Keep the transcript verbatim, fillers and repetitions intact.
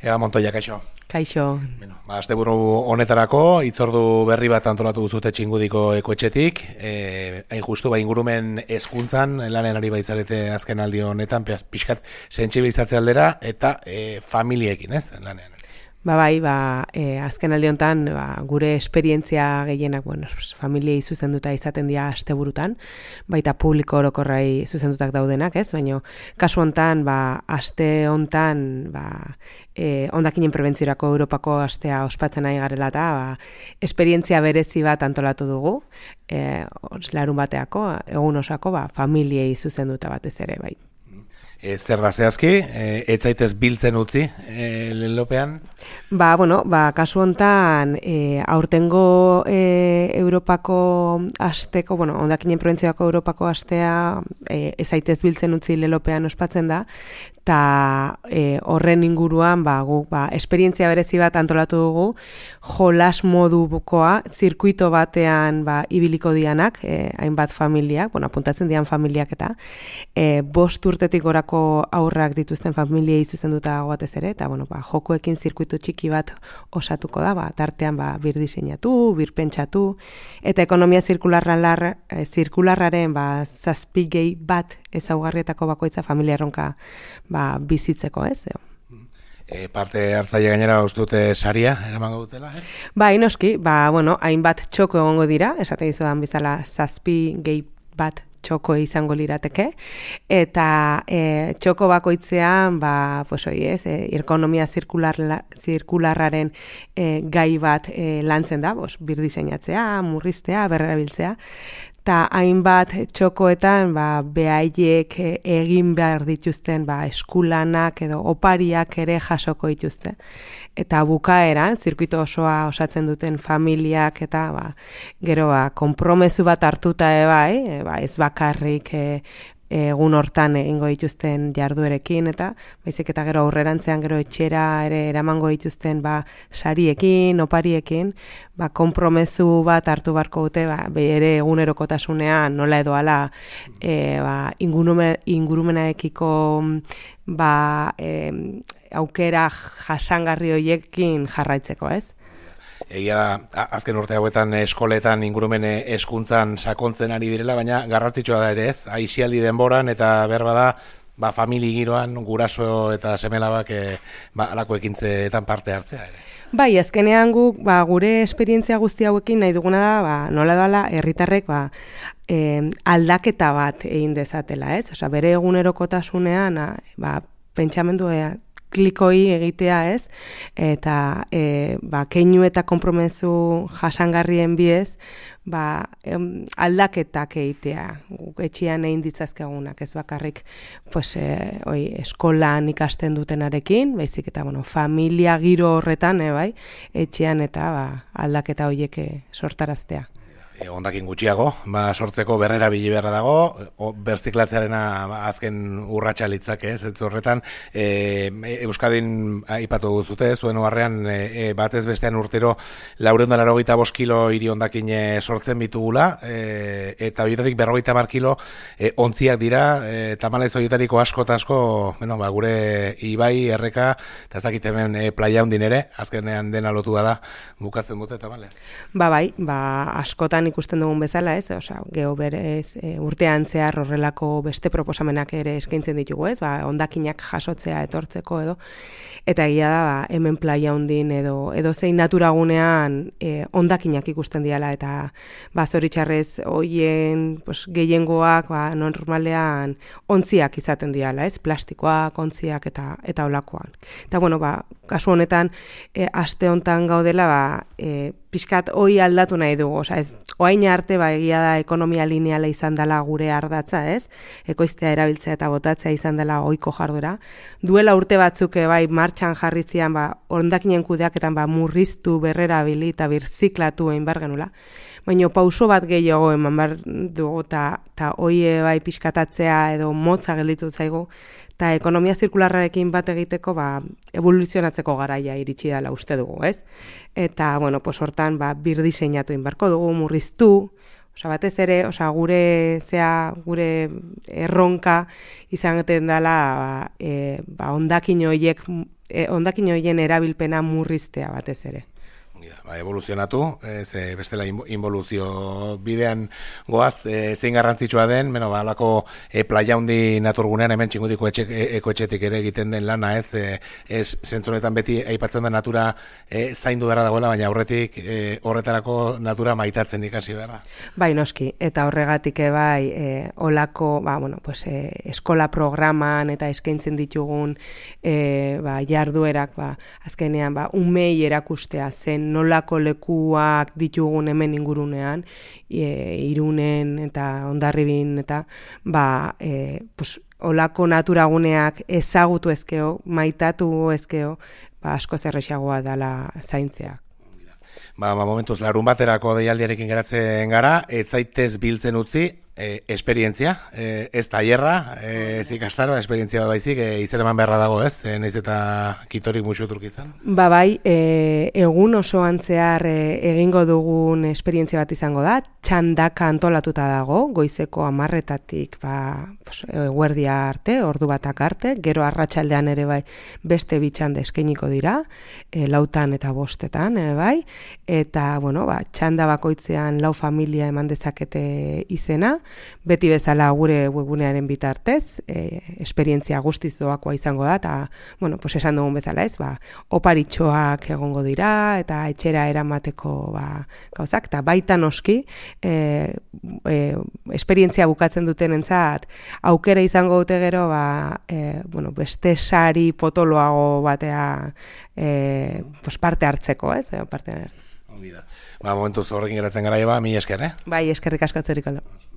Ega Montoya, kaixo. Kaixo. Bueno, ba, asteburu honetarako hitzordu berri bat antolatu duzute Txingudiko ekoetxetik. Eh, hain justu, ba, ingurumen hezkuntzan lanen ari baitzarete azken aldi honetan, pixkat sentsibilizatzea aldera eta e, familiekin, ez, lanean. Ba bai, ba, e, azken aldi honetan ba, gure esperientzia gehienak, bueno, familiei zuzenduta izaten dira asteburutan, baita publiko orokorrai zuzendutak daudenak, ez? Baina kasu honetan, ba, aste honetan, ba, e, hondakinen prebentziorako Europako astea ospatzen ari garela eta ba, esperientzia berezi bat antolatu dugu, e, larun bateako, egun osako, ba, familiei zuzenduta batez ere, bai. E, zer da zehazki, e, ez zaitez biltzen utzi e, lelopean? Ba, bueno, ba, kasu hontan e, aurtengo e, Europako asteko, bueno, hondakinen prebentziorako Europako astea e, ez zaitez biltzen utzi lelopean ospatzen da, eta e, horren inguruan ba, gu, ba, esperientzia berezi bat antolatu dugu, jolas modukoa, zirkuito batean ba, ibiliko dianak, e, hainbat familiak, bueno, apuntatzen dian familiak eta e, bost urtetik orako aurrak dituzten familiei zuzenduta batez ere, eta bueno, ba, jokoekin zirkuito txiki bat osatuko da, ba, tartean ba, bir diseinatu, bir pentsatu, eta ekonomia zirkularrar, e, zirkularraren ba, zazpi gehi bat ezaugarrietako bakoitza familia erronka ba, bizitzeko, ez? E, parte hartzaile gainera uste dute saria eramango dutela, eh? Ba, inoski, ba, bueno, hainbat txoko egongo dira, esaten dizudan bezala zazpi gehi bat txoko izango lirateke, eta e, txoko bakoitzean, ba, pues hoi ez, e, ekonomia zirkular, zirkularraren e, gai bat e, lantzen da, bos, bir diseinatzea, murriztea, berrerabiltzea, eta hainbat txokoetan ba, behaiek egin behar dituzten ba, eskulanak edo opariak ere jasoko dituzte. Eta bukaeran, zirkuito osoa osatzen duten familiak eta ba, gero ba, konpromezu bat hartuta e, bai, e, ba, ez bakarrik e, egun hortan egingo dituzten jarduerekin eta baizik eta gero aurrerantzean gero etxera ere eramango dituzten ba sariekin, opariekin, ba konpromezu bat hartu barko dute ba bere egunerokotasunean nola edo hala e, ba ingurumen ingurumenarekiko ba e, aukera jasangarri hoiekin jarraitzeko, ez? Egia azken urte hauetan eskoletan ingurumen hezkuntzan sakontzen ari direla, baina garrantzitsua da ere ez, aisialdi denboran eta berba da ba, famili giroan guraso eta semelabak e, ba, alako ekintzeetan parte hartzea ere. Bai, azkenean guk ba, gure esperientzia guzti hauekin nahi duguna da, ba, nola doala herritarrek ba, e, aldaketa bat egin dezatela, ez? Osea, bere egunerokotasunean ba, pentsamendu klikoi egitea, ez? Eta e, ba, keinu eta konpromezu jasangarrien biez, ba, em, aldaketak egitea, guk etxean egin ditzazkegunak, ez bakarrik pues, e, oi, eskolan ikasten dutenarekin, baizik eta bueno, familia giro horretan, e, bai, etxean eta ba, aldaketa horiek sortaraztea. E, ondakin gutxiago, ba, sortzeko berrera bili beharra dago, o, berziklatzearena azken urratsa litzake, ez, ez horretan, e, Euskadin aipatu duzute, zuen oharrean e, batez bestean urtero laurehun eta laurogeita bost kilo hiri ondakin sortzen bitugula, e, eta horietatik berrogeita hamar kilo e, ontziak dira, e, tamalez horietariko asko eta asko, bueno, ba, gure ibai, erreka, eta ez dakit hemen e, playa hundin ere, azkenean dena lotua da, bukatzen dute, tamalez. Ba bai, ba, askotan ikusten dugun bezala, ez? Osea, geho berez e, urtean zehar horrelako beste proposamenak ere eskaintzen ditugu, ez? Ba, hondakinak jasotzea etortzeko edo eta egia da, ba, hemen playa hondin edo edo zein naturagunean e, hondakinak ikusten diala eta ba zoritxarrez hoien, pues gehiengoak ba normalean ontziak izaten diala, ez? Plastikoak, ontziak eta eta holakoan. Eta bueno, ba, kasu honetan e, aste hontan gaudela, ba, e, pixkat hoi aldatu nahi dugu, osea, ez, oain arte ba egia da ekonomia lineala izan dela gure ardatza, ez? Ekoiztea erabiltzea eta botatzea izan dela ohiko jarduera. Duela urte batzuk bai martxan jarritzean ba hondakinen kudeaketan ba murriztu, berrerabili eta birziklatu egin bar genula. Baina pauso bat gehiago eman bar dugu eta ta hoie bai pixkatatzea edo motza gelditu zaigu. Eta ekonomia zirkularrarekin bat egiteko ba, evoluzionatzeko garaia iritsi dela uste dugu, ez? Eta, bueno, pues hortan ba, bir diseinatu inbarko dugu, murriztu, osea, batez ere, osea, gure, zea, gure erronka izan dela ba, e, ba, hondakin horiek e, hondakin horien erabilpena murriztea batez ere. Ba, evoluzionatu, ez, e, bestela involuzio bidean goaz, e, zein garrantzitsua den, beno, ba, alako e, playa hundi naturgunean, hemen txingudiko etxe, e, ekoetxetik ere egiten den lana, ez, e, ez zentzunetan beti aipatzen da natura e, zaindu beharra dagoela, baina aurretik e, horretarako natura maitatzen ikasi beharra. Bai, noski, eta horregatik bai, e, olako, ba, bueno, pues, e, eskola programan eta eskaintzen ditugun e, ba, jarduerak, ba, azkenean, ba, umei erakustea zen, nolako lekuak ditugun hemen ingurunean, e, Irunen eta Hondarribin eta ba, e, pues, olako naturaguneak ezagutu ezkeo, maitatu ezkeo, ba, asko zerrexagoa dela zaintzeak. Ba, ba, momentuz, larun baterako deialdiarekin geratzen gara, ez zaitez biltzen utzi, E, esperientzia, e, ez tailerra, e, ez ikastaro, esperientzia bat baizik, e, izer eman beharra dago, ez? E, naiz eta kitorik musuturk izan? Ba bai, e, egun osoan zehar e, egingo dugun esperientzia bat izango da, txandaka antolatuta dago, goizeko hamarretatik ba, pues, eguerdia arte, ordu batak arte, gero arratsaldean ere bai beste bi txanda eskainiko dira, e, lautan eta bostetan, e, bai, eta, bueno, ba, txanda bakoitzean lau familia eman dezakete izena, beti bezala gure webgunearen bitartez, e, esperientzia guztiz doakoa izango da, eta, bueno, pues esan dugun bezala ez, ba, oparitxoak egongo dira, eta etxera eramateko ba, gauzak, eta baita noski, e, e, esperientzia bukatzen duten entzat, aukera izango dute gero, ba, e, bueno, beste sari potoloago batea e, pues parte hartzeko, ez, parte hartzeko. Ba, momentuz horrekin geratzen gara, eba, mi esker, eh? Bai, eskerrik asko atzeriko da.